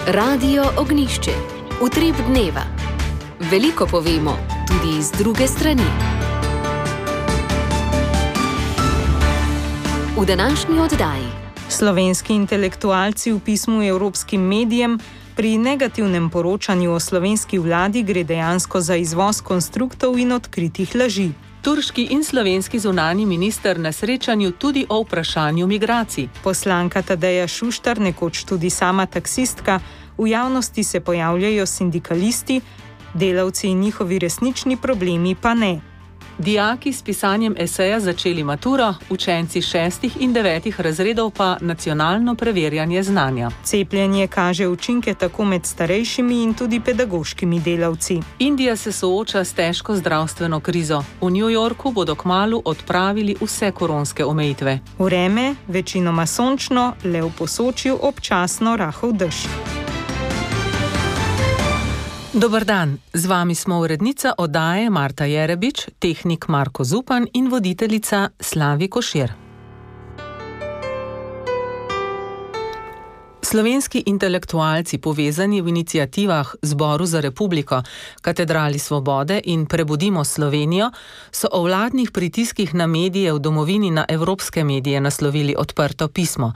Radio Ognjišče. Utrip dneva. Veliko povemo, tudi iz druge strani. V današnji oddaji. Slovenski intelektualci v pismu evropskim medijem: pri negativnem poročanju o slovenski vladi gre dejansko za izvoz konstruktov in odkritih laži. Turški in slovenski zunanji minister na srečanju tudi o vprašanju migracij. Poslanka Tadeja Šuštar, nekoč tudi sama taksistka, v javnosti se pojavljajo sindikalisti, delavci in njihovi resnični problemi pa ne. Dijaki s pisanjem eseja začeli maturo, učenci 6. in 9. razredov pa nacionalno preverjanje znanja. Cepljenje kaže učinke tako med starejšimi in tudi pedagoškimi delavci. Indija se sooča s težko zdravstveno krizo. V New Yorku bodo kmalu odpravili vse koronske omejitve. Vreme, večinoma sončno, le v Posočju občasno rahel dež. Dober dan, z vami smo urednica oddaje Marta Jerebič, tehnik Marko Zupan in voditeljica Slavi Košir. Slovenski intelektualci, povezani v iniciativah Zboru za republiko, Katedrali svobode in Prebudimo Slovenijo, so o vladnih pritiskih na medije v domovini na evropske medije naslovili odprto pismo.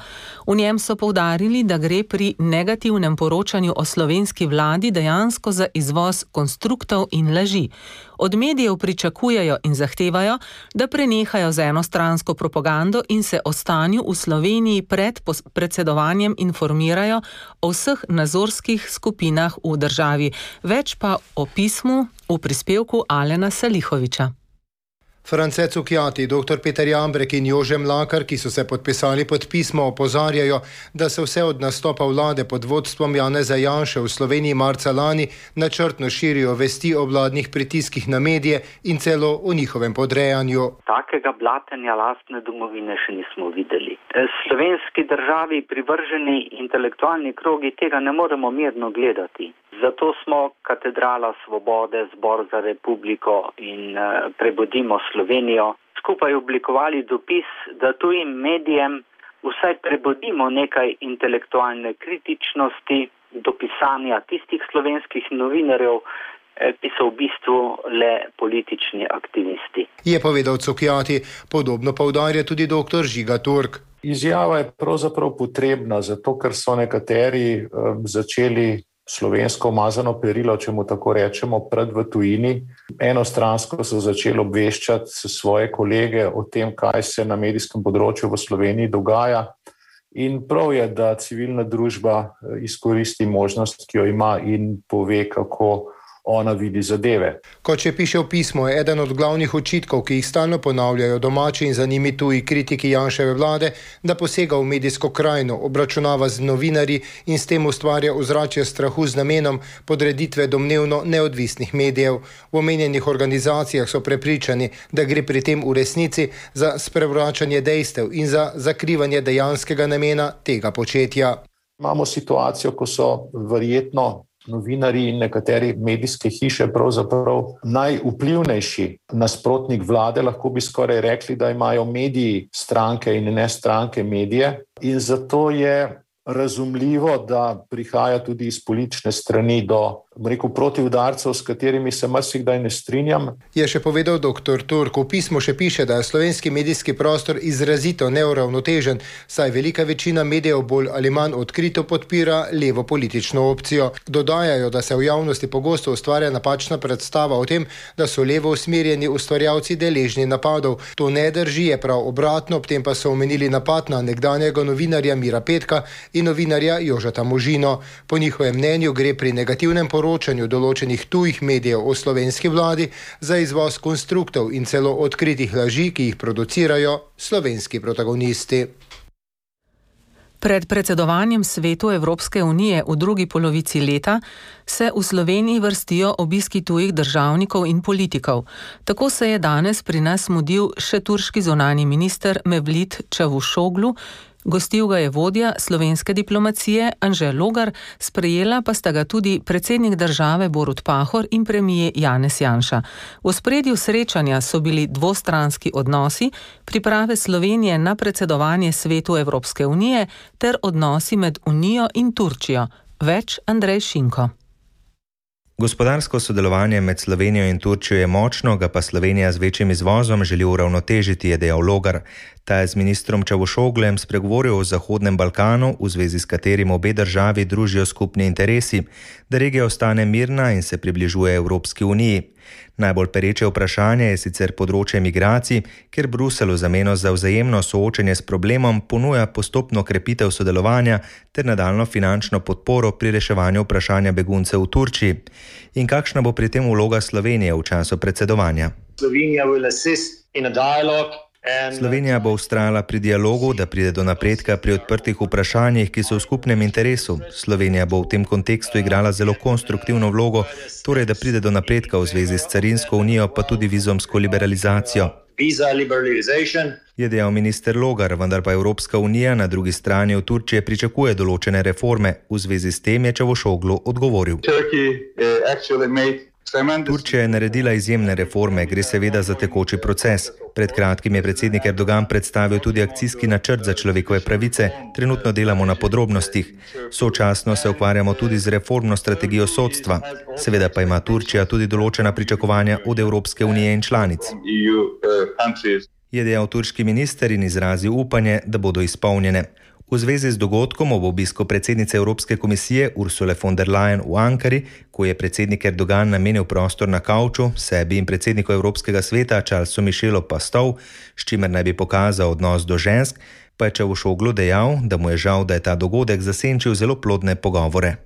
V njem so poudarili, da gre pri negativnem poročanju o slovenski vladi dejansko za izvoz konstruktov in laži. Od medijev pričakujejo in zahtevajo, da prenehajo z enostransko propagando in se o stanju v Sloveniji pred predsedovanjem informirajo o vseh nazorskih skupinah v državi. Več pa o pismu v prispevku Alena Salihoviča. France Cukjati, dr. Peter Jambrek in Jože Mlakar, ki so se podpisali pod pismo, opozarjajo, da se vse od nastopa vlade pod vodstvom Janeza Janše v Sloveniji marca lani načrtno širijo vesti o vladnih pritiskih na medije in celo o njihovem podrejanju. Takega blatenja lastne domovine še nismo videli. Slovenski državi privrženi intelektualni krogi tega ne moremo mirno gledati. Zato smo Katedrala svobode, Zbor za republiko in Prebudimo Slovenijo skupaj oblikovali dopis, da tujim medijem vsaj prebudimo nekaj intelektualne kritičnosti do pisanja tistih slovenskih novinarjev, ki so v bistvu le politični aktivisti. Je povedal Cukjati, podobno poudarja tudi dr. Žiga Turk. Izjava je pravzaprav potrebna, zato ker so nekateri začeli slovensko umazano perilo, če mu tako rečemo, pred v tujini. Enostransko so začeli obveščati svoje kolege o tem, kaj se na medijskem področju v Sloveniji dogaja. In prav je, da civilna družba izkoristi možnost, ki jo ima in pove, kako ona vidi zadeve. Kot še piše v pismu, je eden od glavnih očitkov, ki jih stalno ponavljajo domači in za njimi tuji kritiki Janševe vlade, da posega v medijsko krajino, obračunava z novinarji in s tem ustvarja ozračje strahu z namenom podreditve domnevno neodvisnih medijev. V omenjenih organizacijah so prepričani, da gre pri tem v resnici za sprevračanje dejstev in za zakrivanje dejanskega namena tega početja. Imamo situacijo, ko so verjetno novinarji in nekateri medijske hiše pravzaprav najvplivnejši nasprotnik vlade, lahko bi skoraj rekli, da imajo mediji stranke in ne stranke medije. In zato je razumljivo, da prihaja tudi iz politične strani do protiudarcev, s katerimi se marsikdaj ne strinjam. Je še povedal dr. Turk. V pismu še piše, da je slovenski medijski prostor izrazito neuravnotežen, saj velika večina medijev bolj ali manj odkrito podpira levo politično opcijo. Dodajajo, da se v javnosti pogosto ustvarja napačna predstava o tem, da so levo usmerjeni ustvarjalci deležni napadov. To ne drži, je prav obratno, ob tem pa so omenili napad na nekdanjega novinarja Mira Petka in novinarja Jožeta Možino. Po njihovem mnenju gre pri negativnem poročanju določenih tujih medijev o slovenski vladi za izvoz konstruktov in celo odkritih laži, ki jih producirajo slovenski protagonisti. Pred predsedovanjem Svetu Evropske unije v drugi polovici leta se v Sloveniji vrstijo obiski tujih državnikov in politikov. Tako se je danes pri nas mudil še turški zunanji minister Mevlut Čavuşoğlu, gostil ga je vodja slovenske diplomacije Anže Logar, sprejela pa sta ga tudi predsednik države Borut Pahor in premijer Janez Janša. V ospredju srečanja so bili dvostranski odnosi, priprave Slovenije na predsedovanje Svetu Evropske unije ter odnosi med Unijo in Turčijo. Več Andrej Šinko. Gospodarsko sodelovanje med Slovenijo in Turčijo je močno, ga pa Slovenija z večjim izvozom želi uravnotežiti, je dejal Logar. Ta je z ministrom Čavušoglem spregovoril o Zahodnem Balkanu, v zvezi s katerim obe državi družijo skupni interesi, da regija ostane mirna in se približuje Evropski uniji. Najbolj pereče vprašanje je sicer področje migracij, kjer Bruselj v zameno za vzajemno soočenje s problemom ponuja postopno krepitev sodelovanja ter nadaljnjo finančno podporo pri reševanju vprašanja beguncev v Turčiji. In kakšna bo pri tem vloga Slovenije v času predsedovanja? Slovenija bo vztrajala pri dialogu, da pride do napredka pri odprtih vprašanjih, ki so v skupnem interesu. Slovenija bo v tem kontekstu igrala zelo konstruktivno vlogo, torej da pride do napredka v zvezi s carinsko unijo, pa tudi vizumsko liberalizacijo. Je dejal minister Logar, vendar pa Evropska unija na drugi strani od Turčije pričakuje določene reforme. V zvezi s tem je Čavušoglu odgovoril. Turčija je naredila izjemne reforme, gre seveda za tekoči proces. Pred kratkim je predsednik Erdogan predstavil tudi akcijski načrt za človekove pravice, trenutno delamo na podrobnostih. Sočasno se ukvarjamo tudi z reformno strategijo sodstva. Seveda pa ima Turčija tudi določena pričakovanja od Evropske unije in članic. Je dejal turški minister in izrazil upanje, da bodo izpolnjene. V zvezi z dogodkom ob obisku predsednice Evropske komisije Ursule von der Leyen v Ankari, ko je predsednik Erdogan namenil prostor na kavču, sebi in predsedniku Evropskega sveta Charlesu Michelu pa stol, s čimer naj bi pokazal odnos do žensk, pa je Čavušoglu dejal, da mu je žal, da je ta dogodek zasenčil zelo plodne pogovore.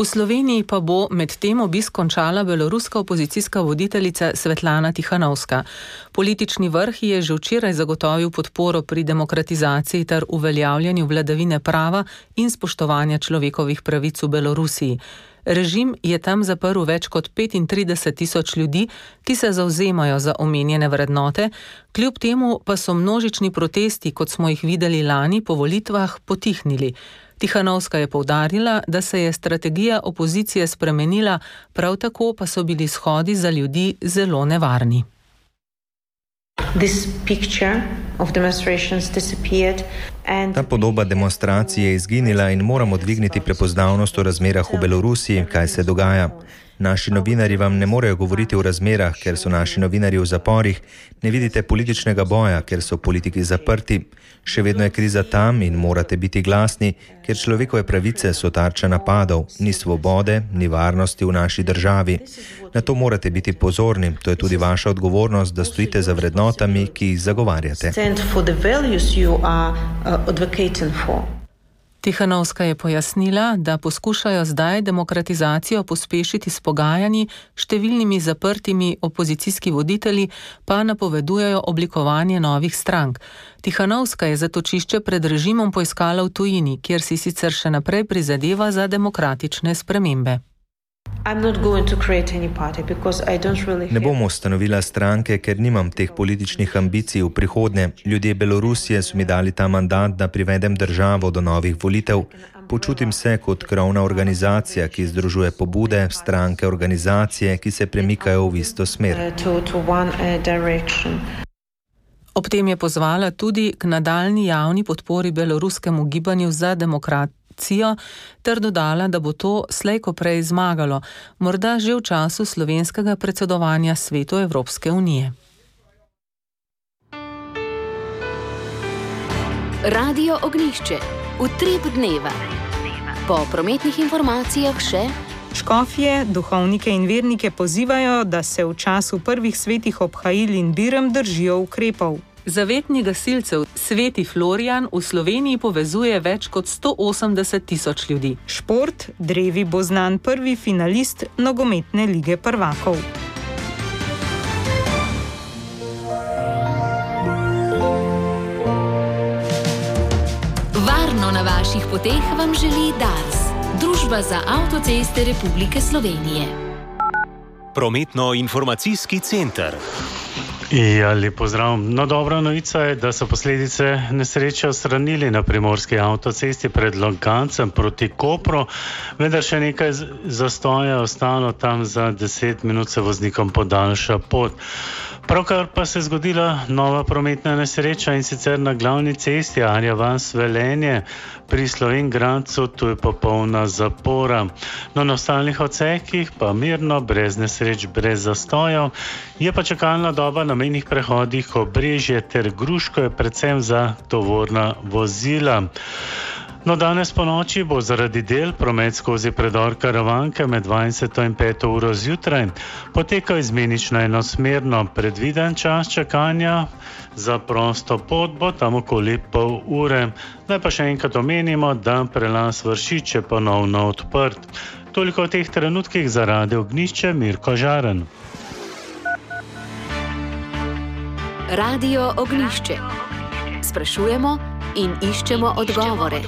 V Sloveniji pa bo med tem obisk končala beloruska opozicijska voditeljica Svetlana Tihanovska. Politični vrh je že včeraj zagotovil podporo pri demokratizaciji ter uveljavljanju vladavine prava in spoštovanja človekovih pravic v Belorusiji. Režim je tam zaprl več kot 35.000 ljudi, ki se zavzemajo za omenjene vrednote, kljub temu pa so množični protesti, kot smo jih videli lani po volitvah, potihnili. Tihanovska je poudarila, da se je strategija opozicije spremenila, prav tako pa so bili shodi za ljudi zelo nevarni. Ta podoba demonstracije je izginila in moramo dvigniti prepoznavnost o razmerah v Belorusiji, kaj se dogaja. Naši novinarji vam ne morejo govoriti o razmerah, ker so naši novinarji v zaporih, ne vidite političnega boja, ker so politiki zaprti. Še vedno je kriza tam in morate biti glasni, ker človekove pravice so tarča napadov, ni svobode, ni varnosti v naši državi. Na to morate biti pozorni, to je tudi vaša odgovornost, da stojite za vrednotami, ki jih zagovarjate. Tihanovska je pojasnila, da poskušajo zdaj demokratizacijo pospešiti s pogajanji, številnimi zaprtimi opozicijski voditelji pa napovedujejo oblikovanje novih strank. Tihanovska je zatočišče pred režimom poiskala v tujini, kjer si sicer še naprej prizadeva za demokratične spremembe. Ne bom ustanovila stranke, ker nimam teh političnih ambicij v prihodnje. Ljudje Belorusije so mi dali ta mandat, da privedem državo do novih volitev. Počutim se kot krovna organizacija, ki združuje pobude, stranke, organizacije, ki se premikajo v isto smer. Ob tem je pozvala tudi k nadaljnji javni podpori beloruskemu gibanju za demokracijo ter dodala, da bo to slej ko prej zmagalo, morda že v času slovenskega predsedovanja Svetu Evropske unije. Radio Ognjišče. Utrip dneva. Po prometnih informacijah še škofje, duhovnike in vernike pozivajo, da se v času prvih svetih obhajil in birem držijo ukrepov. Zavetni gasilcev Sveti Florijan v Sloveniji povezuje več kot 180.000 ljudi. Šport, drevi bo znan prvi finalist nogometne lige prvakov. Varno na vaših poteh vam želi Dars, Družba za avtoceste Republike Slovenije. Prometno-informacijski center. Ja, lep pozdrav. No, dobra novica je, da so posledice nesreče odstranili na primorski avtocesti pred Logancem proti Kopru, vendar še nekaj zastoja ostalo, tam za 10 minut se voznikom podaljša pot. Pravkar pa se je zgodila nova prometna nesreča, in sicer na glavni cesti Arja vas Velenje pri Slovenj Gradcu, tu je popolna zapora. No, na ostalih odsekih pa mirno, brez nesreč, brez zastojev. Je pa čakalna doba na mejnih prehodih Obrežje ter Gruško je predvsem za tovorna vozila. No, danes po noči bo zaradi del promet skozi predor Karavanke med 20 in 5 uro zjutraj potekal izmenično enosmerno. Predviden čas čakanja za prosto pot bo tam okoli pol ure. Naj pa še enkrat omenimo, da prelaz Vršič je ponovno odprt. Toliko v teh trenutkih za Radio Ognjišče, Mirko Žaren. Radio Ognjišče. Sprašujemo in iščemo odgovore.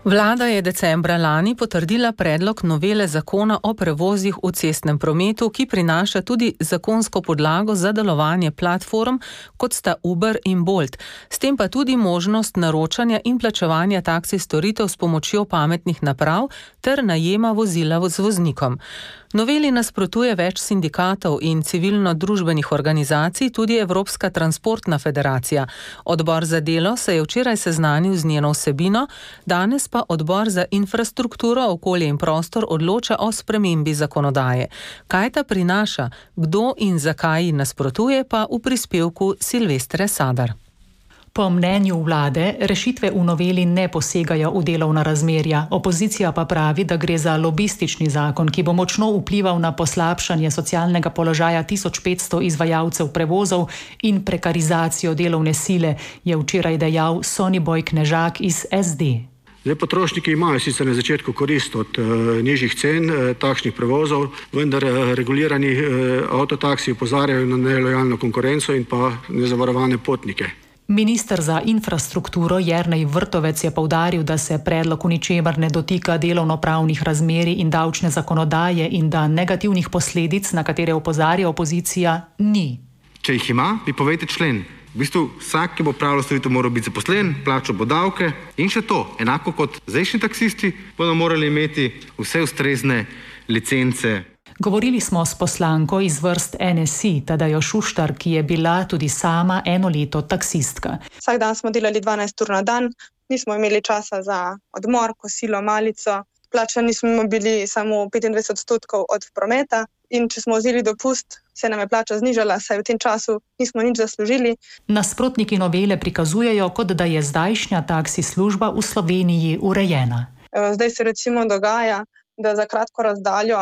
Vlada je decembra lani potrdila predlog novele zakona o prevozih v cestnem prometu, ki prinaša tudi zakonsko podlago za delovanje platform, kot sta Uber in Bolt. S tem pa tudi možnost naročanja in plačevanja taksi storitev s pomočjo pametnih naprav ter najema vozila z voznikom. Noveli nasprotuje več sindikatov in civilno-družbenih organizacij, tudi Evropska transportna federacija. Odbor za delo se je včeraj seznanil z njeno vsebino, danes pa odbor za infrastrukturo, okolje in prostor odloča o spremembi zakonodaje. Kaj ta prinaša, kdo in zakaj ji nasprotuje, pa v prispevku Silvestre Sadar. Po mnenju vlade rešitve v noveli ne posegajo v delovna razmerja. Opozicija pa pravi, da gre za lobistični zakon, ki bo močno vplival na poslabšanje socialnega položaja 1500 izvajalcev prevozov in prekarizacijo delovne sile, je včeraj dejal Soniboj Knežak iz SD. Potrošniki imajo sicer na začetku korist od nižjih cen takšnih prevozov, vendar regulirani avtotaksi opozarjajo na nelojalno konkurenco in pa nezavarovane potnike. Minister za infrastrukturo Jernej Vrtovec je poudaril, da se predlog v ničemer ne dotika delovnopravnih razmerij in davčne zakonodaje in da negativnih posledic, na katere opozarja opozicija, ni. Če jih ima, bi povejte člen. V bistvu vsak, ki bo opravljal storitev, mora biti zaposlen, plačal bo davke in še to, enako kot zdajšnji taksisti, bodo morali imeti vse ustrezne licence. Govorili smo s poslanko iz vrst NSI, Tadejo Šuštar, ki je bila tudi sama 1 leto taksistka. Vsak dan smo delali 12 ur na dan, nismo imeli časa za odmor, kosilo, malico. Plačani smo bili samo 25% od prometa in če smo vzeli dopust, se nam je plača znižala, saj v tem času nismo nič zaslužili. Nasprotniki novele prikazujejo, kot da je zdajšnja taksi služba v Sloveniji urejena. Zdaj se recimo dogaja, da za kratko razdaljo,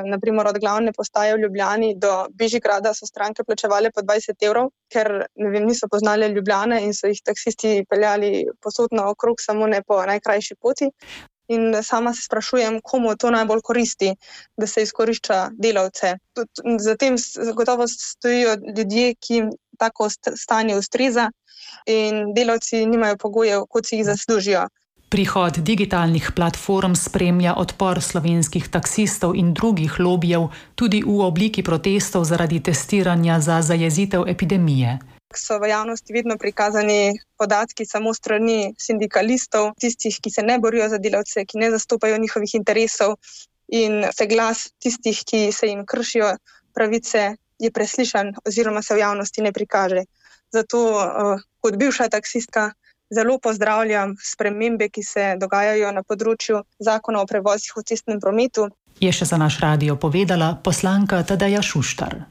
naprimer od glavne postaje v Ljubljani do Bežigrada, so stranke plačevale po 20 evrov, ker niso poznali Ljubljane in so jih taksisti peljali posod naokrog, samo ne po najkrajši poti. In sama se sprašujem, komu to najbolj koristi, da se izkorišča delavce. Zatem gotovo stojijo ljudje, ki tako stanje ustreza in delavci nimajo pogojev, kot si jih zaslužijo. Prihod digitalnih platform spremlja odpor slovenskih taksistov in drugih lobijev, tudi v obliki protestov zaradi testiranja za zajezitev epidemije. So v javnosti vedno prikazani podatki samo strani sindikalistov, tistih, ki se ne borijo za delavce, ki ne zastopajo njihovih interesov, in se glas tistih, ki se jim kršijo pravice, je preslišan oziroma se v javnosti ne prikaže. Zato kot bivša taksistka zelo pozdravljam spremembe, ki se dogajajo na področju zakona o prevozih v cestnem prometu. Je še za naš radio povedala poslanka Tadeja Šuštar.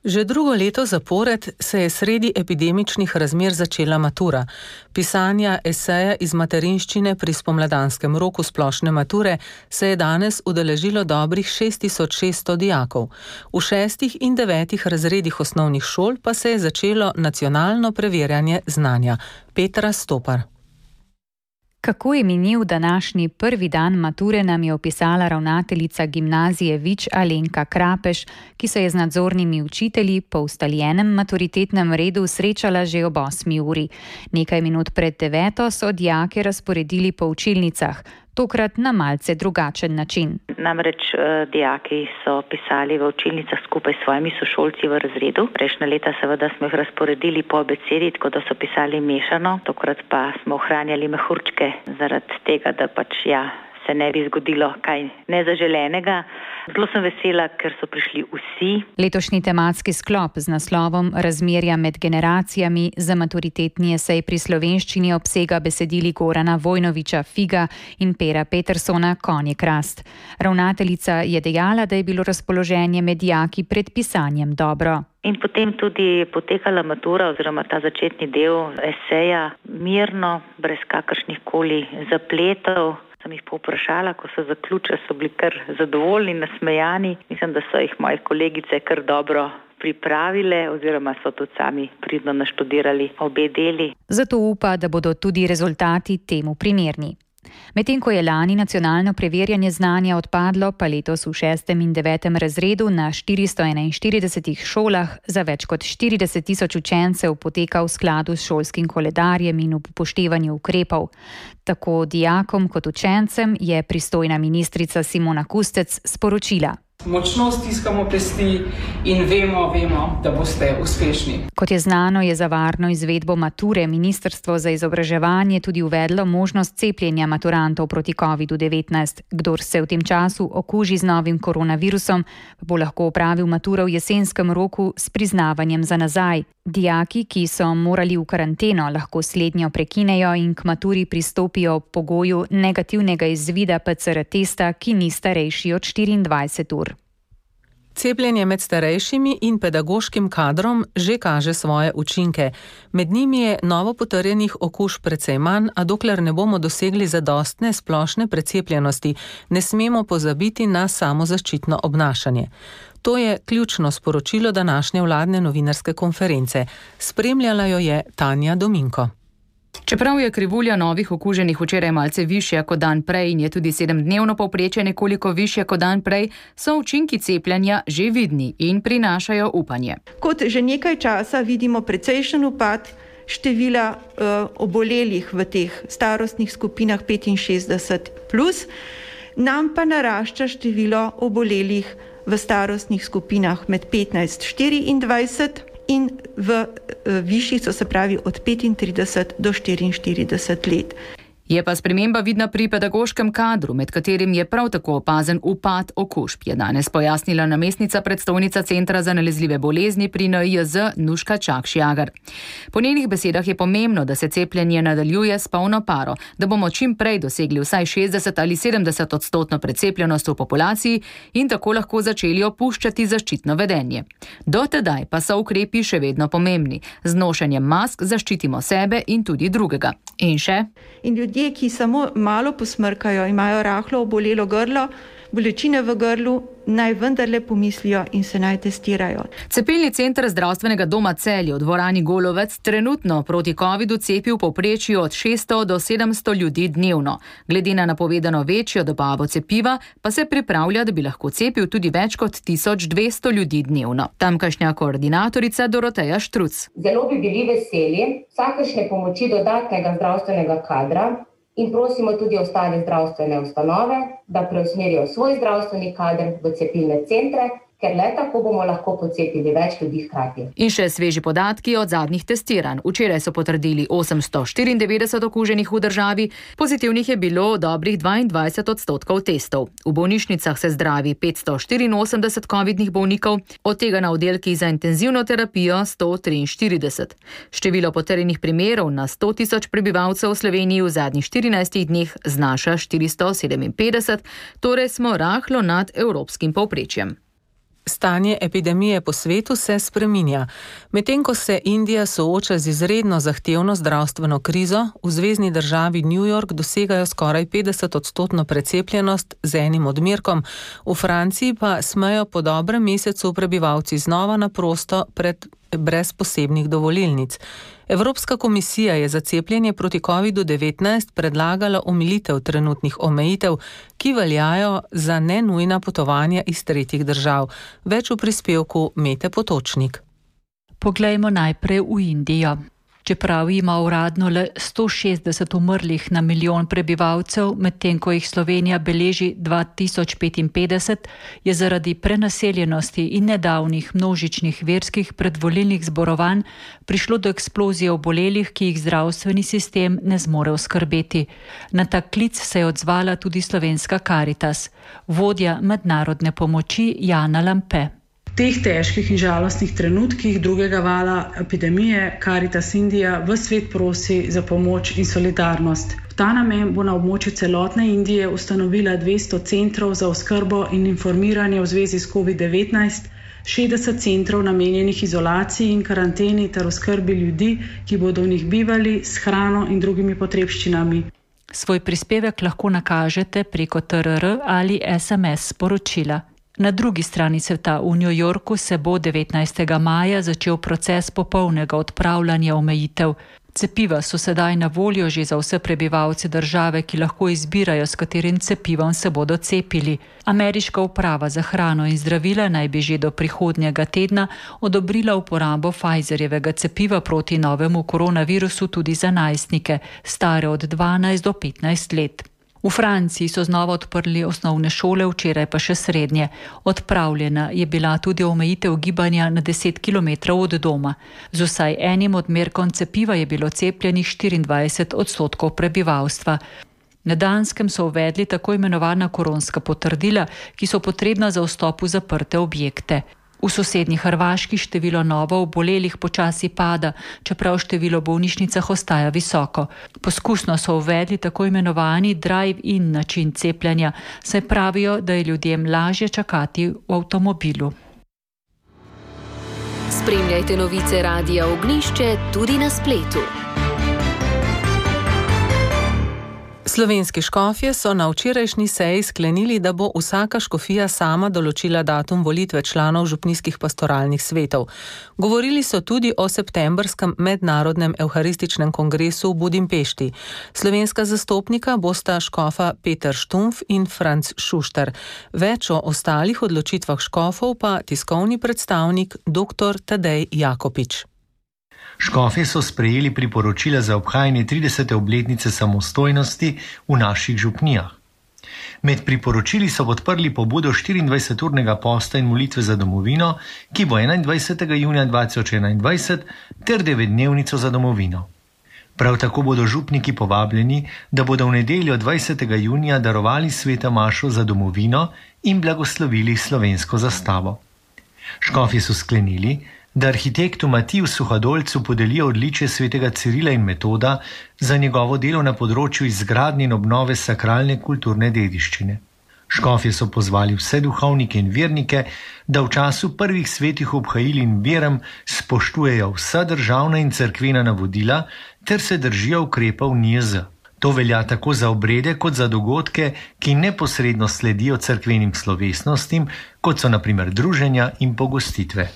Že drugo leto zapored se je sredi epidemičnih razmer začela matura. Pisanja eseja iz materinščine pri spomladanskem roku splošne mature se je danes udeležilo dobrih 6600 dijakov. V 6. in 9. razredih osnovnih šol pa se je začelo nacionalno preverjanje znanja. Petra Stopar. Kako je minil današnji prvi dan mature, nam je opisala ravnateljica gimnazije Vič Alenka Krapeš, ki se je z nadzornimi učitelji po ustaljenem maturitetnem redu srečala že ob 8. uri. Nekaj minut pred 9. so dijake razporedili po učilnicah. tokrat na malce drugačen način. Namreč dijaki so pisali v učilnicah skupaj s svojimi sošolci v razredu. Prejšnja leta seveda smo jih razporedili po abecedi, tako da so pisali mešano, tokrat pa smo ohranjali mehurčke zaradi tega, da se ne bi zgodilo kaj nezaželenega. Zelo sem vesela, ker so prišli vsi. Letošnji tematski sklop z naslovom Razmerja med generacijami za maturitetni esej pri slovenščini obsega besedili Gorana Vojnoviča Figa in Pera Petersona Konje krast. Ravnateljica je dejala, da je bilo razpoloženje med dijaki pred pisanjem dobro. In potem tudi potekala matura oziroma ta začetni del eseja mirno, brez kakršnih koli zapletov. Sem jih povprašala, ko so zaključili, so bili kar zadovoljni, nasmejani. Mislim, da so jih moje kolegice kar dobro pripravile oziroma so tudi sami pridno naštudirali obe deli. Zato upa, da bodo tudi rezultati temu primerni. Medtem ko je lani nacionalno preverjanje znanja odpadlo, pa letos v 6. in 9. razredu na 441 šolah za več kot 40 tisoč učencev poteka v skladu s šolskim koledarjem in v upoštevanju ukrepov. Tako dijakom kot učencem je pristojna ministrica Simona Kustec sporočila. Močno stiskamo pesti in vemo, da boste uspešni. Kot je znano, je za varno izvedbo mature Ministrstvo za izobraževanje tudi uvedlo možnost cepljenja maturantov proti COVID-19. Kdor se v tem času okuži z novim koronavirusom, bo lahko opravil maturo v jesenskem roku s priznavanjem za nazaj. Dijaki, ki so morali v karanteno, lahko slednjo prekinejo in k maturi pristopijo ob pogoju negativnega izvida PCR testa, ki ni starejši od 24 ur. Cepljenje med starejšimi in pedagoškim kadrom že kaže svoje učinke. Med njimi je novo potrjenih okužb precej manj, a dokler ne bomo dosegli zadostne splošne precepljenosti, ne smemo pozabiti na samozaščitno obnašanje. To je ključno sporočilo današnje vladne novinarske konference. Spremljala jo je Tanja Dominko. Čeprav je krivulja novih okuženih včeraj malce višja kot dan prej in je tudi 7-dnevno povprečje nekoliko višje kot dan prej, so učinki cepljenja že vidni in prinašajo upanje. Kot že nekaj časa vidimo precejšen upad števila obolelih v teh starostnih skupinah 65+, nam pa narašča število obolelih v starostnih skupinah med 15-24 in v višjih, se pravi od 35 do 44 let. Je pa sprememba vidna pri pedagoškem kadru, med katerim je prav tako opazen upad okužb, je danes pojasnila namestnica predstojnica Centra za nalezljive bolezni pri NIJZ Nuška Čakš-Jagar. Po njenih besedah je pomembno, da se cepljenje nadaljuje s polno paro, da bomo čim prej dosegli vsaj 60 ali 70% precepljenost v populaciji in tako lahko začeli opuščati zaščitno vedenje. Do tedaj pa so ukrepi še vedno pomembni. Z nošenjem mask zaščitimo sebe in tudi drugega. In še? In ljudje, ki samo malo posmrkajo, imajo rahlo obolelo grlo, bolečine v grlu, naj vendarle pomislijo in se naj testirajo. Cepilni center zdravstvenega doma Celje v dvorani Golovec trenutno proti covidu cepi v povprečju od 600 do 700 ljudi dnevno. Glede na napovedano večjo dobavo cepiva pa se pripravlja, da bi lahko cepil tudi več kot 1200 ljudi dnevno. Tamkajšnja koordinatorica Doroteja Štruc. Zelo bi bili veseli vsakršne pomoči dodatnega zdravstvenega kadra in prosimo tudi ostale zdravstvene ustanove, da preusmerijo svoj zdravstveni kader v cepilne centre, ker le tako bomo lahko pocepili več ljudi hkrati. In še sveži podatki od zadnjih testiranj. Včeraj so potrdili 894 okuženih v državi, pozitivnih je bilo dobrih 22% testov. V bolnišnicah se zdravi 584 covidnih bolnikov, od tega na oddelkih za intenzivno terapijo 143. Število potrjenih primerov na 100 tisoč prebivalcev v Sloveniji v zadnjih 14 dneh znaša 457, torej smo rahlo nad evropskim povprečjem. Stanje epidemije po svetu se spreminja. Medtem ko se Indija sooča z izredno zahtevno zdravstveno krizo, v zvezni državi New York dosegajo skoraj 50% precepljenost z enim odmerkom, v Franciji pa smejo po dobrem mesecu prebivalci znova na prosto brez posebnih dovolilnic. Evropska komisija je za cepljenje proti COVID-19 predlagala omilitev trenutnih omejitev, ki veljajo za nenujna potovanja iz tretjih držav. Več v prispevku Mete Potočnik. Poglejmo najprej v Indijo. čeprav ima uradno le 160 umrlih na milijon prebivalcev, medtem ko jih Slovenija beleži 2055, je zaradi prenaseljenosti in nedavnih množičnih verskih predvolilnih zborovanj prišlo do eksplozije obolelih, ki jih zdravstveni sistem ne zmore oskrbeti. Na tak klic se je odzvala tudi slovenska Karitas, vodja mednarodne pomoči Jana Lampe. V teh težkih in žalostnih trenutkih drugega vala epidemije Karitas Indija v svet prosi za pomoč in solidarnost. V ta namen bo na območju celotne Indije ustanovila 200 centrov za oskrbo in informiranje v zvezi s COVID-19, 60 centrov namenjenih izolaciji in karanteni ter oskrbi ljudi, ki bodo v njih bivali s hrano in drugimi potrebščinami. Svoj prispevek lahko nakažete preko TRR ali SMS sporočila. Na drugi strani sveta v New Yorku se bo 19. maja začel proces popolnega odpravljanja omejitev. Cepiva so sedaj na voljo že za vse prebivalce države, ki lahko izbirajo, s katerim cepivom se bodo cepili. Ameriška uprava za hrano in zdravila naj bi že do prihodnjega tedna odobrila uporabo Pfizerjevega cepiva proti novemu koronavirusu tudi za najstnike, stare od 12 do 15 let. V Franciji so znova odprli osnovne šole, včeraj pa še srednje. Odpravljena je bila tudi omejitev gibanja na 10 km od doma. Z vsaj enim odmerkom cepiva je bilo cepljenih 24% prebivalstva. Na Danskem so uvedli tako imenovana koronska potrdila, ki so potrebna za vstop v zaprte objekte. V sosednji Hrvaški število novo obolelih počasi pada, čeprav število bolnišnicah ostaja visoko. Poskusno so uvedli tako imenovani drive-in način cepljenja, saj pravijo, da je ljudem lažje čakati v avtomobilu. Spremljajte novice Radia Ognjišče tudi na spletu. Slovenski škofje so na včerajšnji seji sklenili, da bo vsaka škofija sama določila datum volitve članov župnijskih pastoralnih svetov. Govorili so tudi o septembrskem mednarodnem evharističnem kongresu v Budimpešti. Slovenska zastopnika bosta škofa Peter Štumpf in Franc Šuštar. Več o ostalih odločitvah škofov pa tiskovni predstavnik dr. Tadej Jakopič. Škofje so sprejeli priporočila za obhajanje 30. obletnice samostojnosti v naših župnijah. Med priporočili so podprli pobudo 24-urnega posta in molitve za domovino, ki bo 21. junija 2021, ter 9-dnevnico za domovino. Prav tako bodo župniki povabljeni, da bodo v nedeljo 20. junija darovali sveta mašo za domovino in blagoslovili slovensko zastavo. Škofje so sklenili, da arhitektu Matiju Suhadolcu podelijo odličje svetega Cirila in Metoda za njegovo delo na področju izgradnje in obnove sakralne kulturne dediščine. Škofje so pozvali vse duhovnike in vernike, da v času prvih svetih obhajil in berem spoštujejo vsa državna in cerkvena navodila ter se držijo ukrepov NIJZ. To velja tako za obrede kot za dogodke, ki neposredno sledijo cerkvenim slovesnostim, kot so na primer druženja in pogostitve.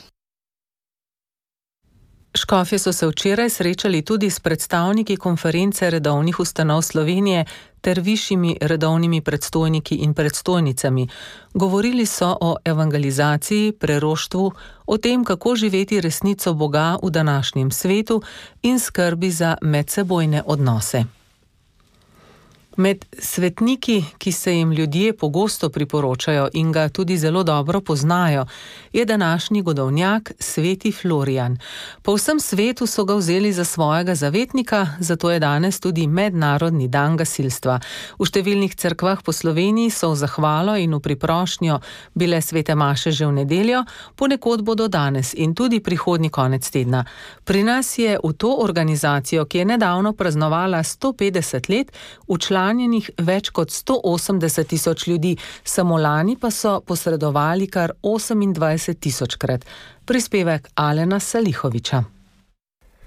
Škofje so se včeraj srečali tudi s predstavniki konference redovnih ustanov Slovenije ter višjimi redovnimi predstojniki in predstojnicami. Govorili so o evangelizaciji, preroštvu, o tem, kako živeti resnico Boga v današnjem svetu in skrbi za medsebojne odnose. Med svetniki, ki se jim ljudje pogosto priporočajo in ga tudi zelo dobro poznajo, je današnji godovnjak sveti Florijan. Po vsem svetu so ga vzeli za svojega zavetnika, zato je danes tudi mednarodni dan gasilstva. V številnih cerkvah po Sloveniji so v zahvalo in v priprošnjo bile svete maše že v nedeljo, ponekod bodo danes in tudi prihodnji konec tedna. Pri nas je v to organizacijo, ki je nedavno praznovala 150 let, včlanjenih več kot 180 tisoč ljudi, samo lani pa so posredovali kar 28 tisočkrat. Prispevek Alena Salihoviča.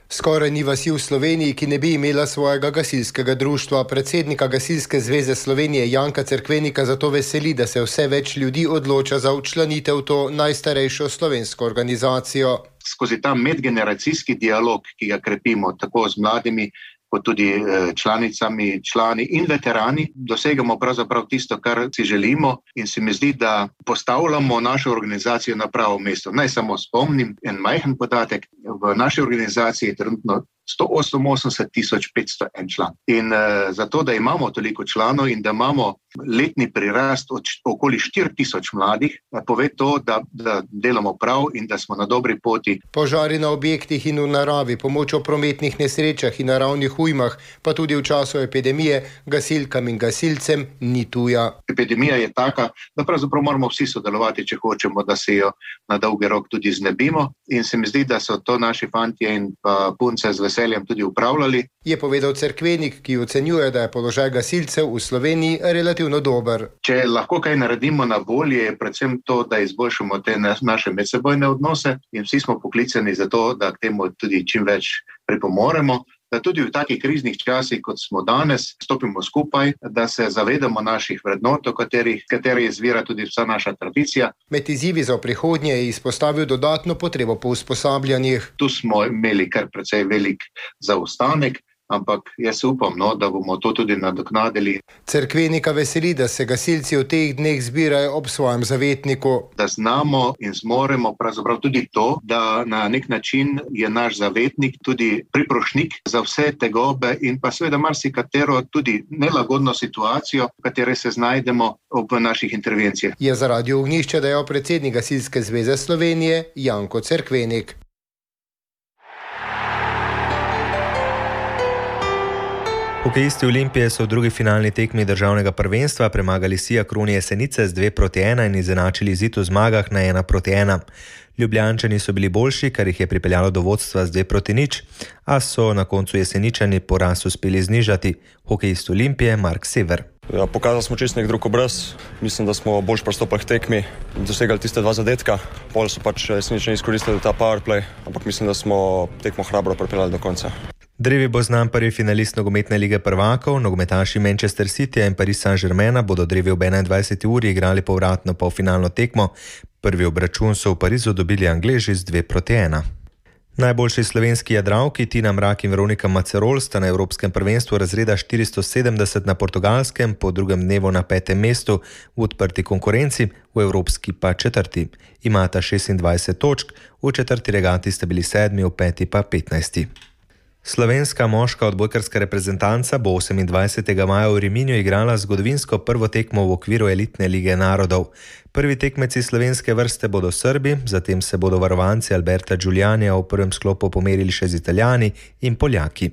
Skoraj ni vasi v Sloveniji, ki ne bi imela svojega gasilskega društva. Predsednika Gasilske zveze Slovenije Janka Cerkvenika zato veseli, da se vse več ljudi odloča za včlanitev v to najstarejšo slovensko organizacijo. Skozi ta medgeneracijski dialog, ki ga krepimo tako z mladimi, kot tudi članicami, člani in veterani, dosegamo pravzaprav tisto, kar si želimo, in se mi zdi, da postavljamo našo organizacijo na pravo mesto. Naj samo spomnim en majhen podatek. V naši organizaciji je trenutno 188.501 član. In zato, da imamo toliko članov in da imamo letni prirast od okoli 4.000 mladih, pove to, da delamo prav in da smo na dobri poti. Požari na objektih in v naravi, pomoč v prometnih nesrečah in naravnih ujmah, pa tudi v času epidemije, gasilkam in gasilcem ni tuja. Epidemija je taka, da pravzaprav moramo vsi sodelovati, če hočemo, da se jo na dolgi rok tudi znebimo. In se mi zdi, da so to naši fantje in pa punce z veseljem tudi upravljali. Je povedal Cerkvenik, ki ocenjuje, da je položaj gasilcev v Sloveniji relativno dober. Če lahko kaj naredimo na bolje, je predvsem to, da izboljšamo te naše medsebojne odnose in vsi smo poklicani za to, da k temu tudi čim več pripomoremo. Da tudi v takih kriznih časih, kot smo danes, stopimo skupaj, da se zavedamo naših vrednot, kateri izvira tudi vsa naša tradicija. Med izzivi za prihodnje je izpostavil dodatno potrebo po usposabljanjih. Tu smo imeli kar precej velik zaostanek, ampak jaz upam, da bomo to tudi nadoknadili. Cerkvenika veseli, da se gasilci v teh dneh zbirajo ob svojem zavetniku. Da znamo in zmoremo pravzaprav tudi to, da na nek način je naš zavetnik tudi priprošnik za vse tegobe in pa seveda marsikatero tudi nelagodno situacijo, v kateri se znajdemo ob naših intervencijah. Je za Radio Ognjišče dejal predsednik Gasilske zveze Slovenije Janko Cerkvenik. Hokejisti Olimpije so v drugi finalni tekmi državnega prvenstva premagali Sija Kroni Jesenice z 2-1 in izenačili izid v zmagah na 1-1. Ljubljančani so bili boljši, kar jih je pripeljalo do vodstva z 2-0, a so na koncu Jeseničani poraz uspeli znižati. Hokejist Olimpije Mark Sever. Ja, pokazali smo čist nek drug obraz. Mislim, da smo boljš pristopali k tekmi, dosegali tiste 2 zadetka. Pol so Jeseničani izkoristili ta powerplay, ampak mislim, da smo tekmo hrabro pripeljali do konca. Drevi bo znan prvi finalist nogometne lige prvakov, nogometaši Manchester Cityja in Paris Saint-Germaina bodo drevi ob 21. uri igrali povratno polfinalno tekmo. Prvi obračun so v Parizu dobili Angleži z 2-1. Najboljši slovenski jadralki Tina Mrak in Veronika Macerol sta na Evropskem prvenstvu razreda 470 na Portugalskem po drugem dnevu na 5. mestu v odprti konkurenci, v evropski pa 4. Imata 26 točk, v 4. regati sta bili 7, v 5. pa 15. Slovenska moška odbojkarska reprezentanca bo 28. maja v Riminju igrala zgodovinsko prvo tekmo v okviru elitne lige narodov. Prvi tekmeci slovenske vrste bodo Srbi, zatem se bodo varovanci Alberta Giulianija v prvem sklopu pomerili še z Italijani in Poljaki.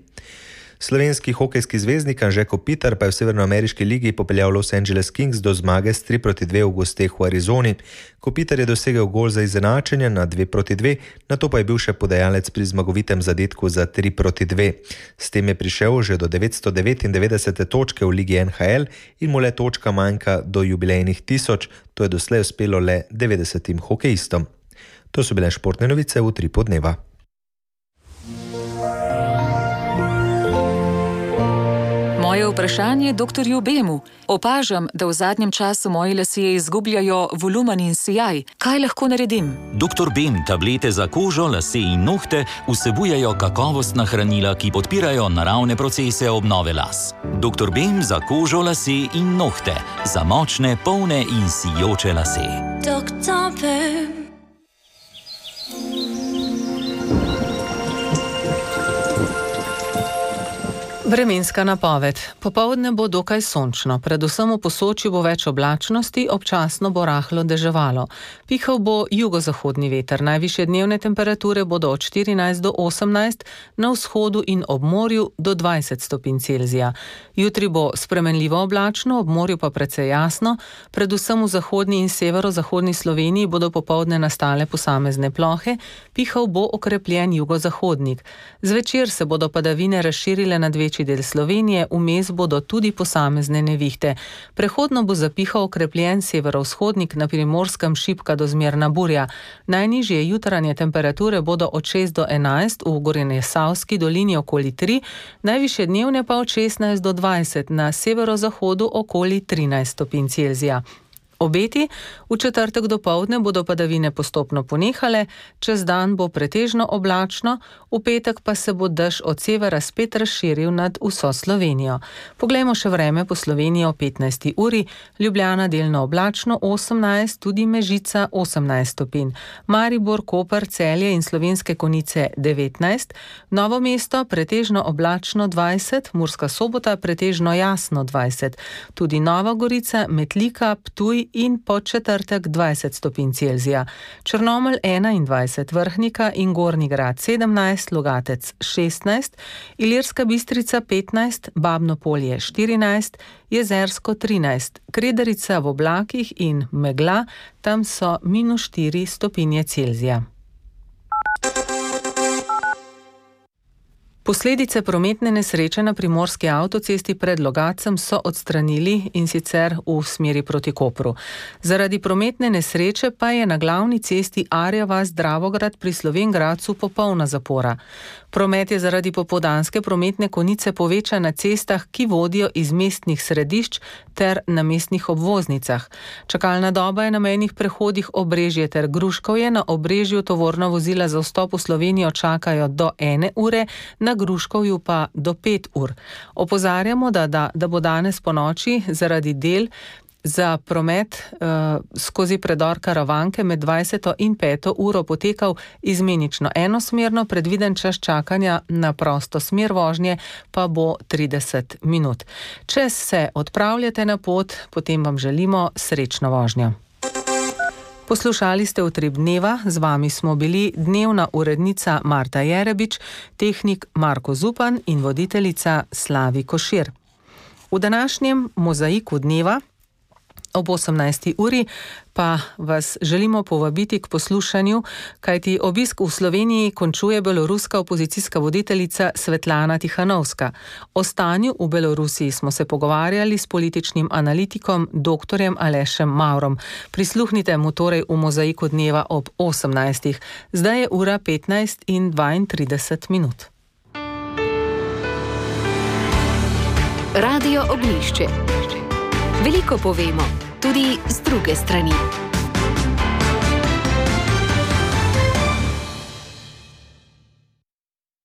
Slovenski hokejski zvezdnik Anže Kopitar pa je v severnoameriški ligi popeljal Los Angeles Kings do zmage s 3-2 v gosteh v Arizoni. Kopitar je dosegel gol za izenačenje na 2-2, nato pa je bil še podajalec pri zmagovitem zadetku za 3-2. S tem je prišel že do 999. točke v ligi NHL in mu le točka manjka do jubilejnih 1000, to je doslej uspelo le 90 hokejistom. To so bile športne novice v Utripu dneva. Moje vprašanje doktorju Bemu. Opažam, da v zadnjem času moji lasje izgubljajo volumen in sijaj. Kaj lahko naredim? Doktor Bem tablete za kožo, lase in nohte vsebujejo kakovostna hranila, ki podpirajo naravne procese obnove las. Doktor Bem za kožo, lase in nohte. Za močne, polne in sijoče lase. Doktor Bem. Vremenska napoved. Popoldne bo dokaj sončno, predvsem v Posočju bo več oblačnosti, občasno bo rahlo deževalo. Pihal bo jugozahodni veter, najvišje dnevne temperature bodo od 14 do 18, na vzhodu in ob morju do 20 stopinj Celzija. Jutri bo spremenljivo oblačno, ob morju pa precej jasno, predvsem v zahodni in severozahodni Sloveniji bodo popoldne nastale posamezne plohe, pihal bo okrepljen jugozahodnik. Zvečer se bodo padavine razširile nad večji del Slovenije, vmes bodo tudi posamezne nevihte. Prehodno bo zapihal okrepljen severovzhodnik, na Primorskem šibka do zmerna burja. Najnižje jutranje temperature bodo od 6 do 11, v Gorenjesavski dolini okoli 3, najvišje dnevne pa od 16 do 20, na severozahodu okoli 13 stopinj Celzija. Obeti: v četrtek dopoldne bodo padavine postopno ponehale, čez dan bo pretežno oblačno, v petek pa se bo dež od severa spet razširil nad vso Slovenijo. Poglejmo še vreme po Sloveniji o 15. uri. Ljubljana delno oblačno 18, tudi Mežica 18 stopinj. Maribor, Koper, Celje in Slovenske Konjice 19, Novo mesto pretežno oblačno 20, Murska Sobota pretežno jasno 20, tudi Nova Gorica, Metlika, Ptuj in Podčetrtek 20 stopinj Celzija. Črnomelj 21, Vrhnika in Gornji Grad 17, Logatec 16, Ilirska Bistrica 15, Babno Polje 14, Jezersko 13, Kredarica v oblakih in megla, tam so -4 stopinje Celzija. Posledice prometne nesreče na primorski avtocesti pred Logacem so odstranili, in sicer v smeri proti Kopru. Zaradi prometne nesreče pa je na glavni cesti Arja vas-Dravograd pri Slovenj Gradcu popolna zapora. Promet je zaradi popoldanske prometne konice povečan na cestah, ki vodijo iz mestnih središč ter na mestnih obvoznicah. Čakalna doba je na mejnih prehodih Obrežje ter Gruškovje. Na Obrežju tovorna vozila za vstop v Slovenijo čakajo do 1 ure, na Gruškovju pa do 5 ur. Opozarjamo, da bo danes ponoči zaradi del za promet skozi predor Karavanke med 20. in 5. uro potekal izmenično enosmerno, predviden čas čakanja na prosto smer vožnje pa bo 30 minut. Če se odpravljate na pot, potem vam želimo srečno vožnjo. Poslušali ste Utrip dneva, z vami smo bili dnevna urednica Marta Jerebič, tehnik Marko Zupan in voditeljica Slavi Košir. V današnjem mozaiku dneva ob 18. uri pa vas želimo povabiti k poslušanju, kajti obisk v Sloveniji končuje beloruska opozicijska voditeljica Svetlana Tihanovska. O stanju v Belorusiji smo se pogovarjali s političnim analitikom dr. Alešem Maurom. Prisluhnite mu torej v mozaiku dneva ob 18. Zdaj je ura 15:32 minut. Radio Oglišče. Veliko povemo, tudi z druge strani.